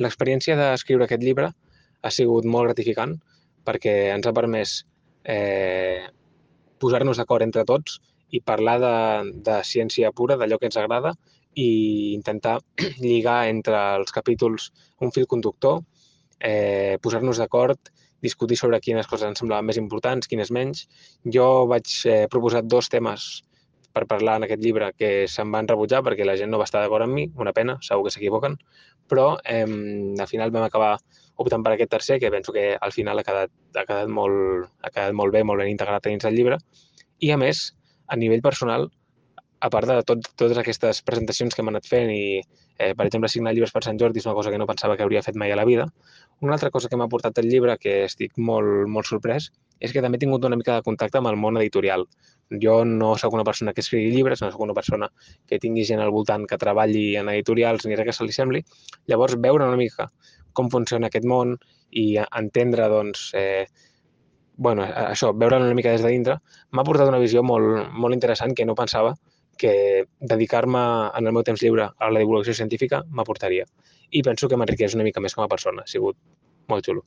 L'experiència d'escriure aquest llibre ha sigut molt gratificant perquè ens ha permès posar-nos d'acord entre tots i parlar de ciència pura, d'allò que ens agrada, i intentar lligar entre els capítols un fil conductor, posar-nos d'acord, discutir sobre quines coses ens semblaven més importants, quines menys. Jo vaig proposar 2 temes per parlar en aquest llibre que se'm van rebutjar perquè la gent no va estar d'acord amb mi, una pena, segur que s'equivoquen, però al final vam acabar optant per aquest tercer, que penso que al final ha quedat molt bé, molt ben integrat dins el llibre. I a més, a nivell personal, a part de totes aquestes presentacions que hem anat fent i, per exemple, signar llibres per Sant Jordi és una cosa que no pensava que hauria fet mai a la vida, una altra cosa que m'ha portat el llibre, que estic molt, molt sorprès, és que també he tingut una mica de contacte amb el món editorial. Jo no sóc una persona que escrigui llibres, no sóc una persona que tingui gent al voltant que treballi en editorials ni res que se li sembli. Llavors, veure una mica com funciona aquest món i entendre, doncs, això, veure una mica des de dintre, m'ha portat una visió molt, molt interessant que no pensava que dedicar-me en el meu temps lliure a la divulgació científica m'aportaria. I penso que m'enriqueix una mica més com a persona. Ha sigut molt xulo.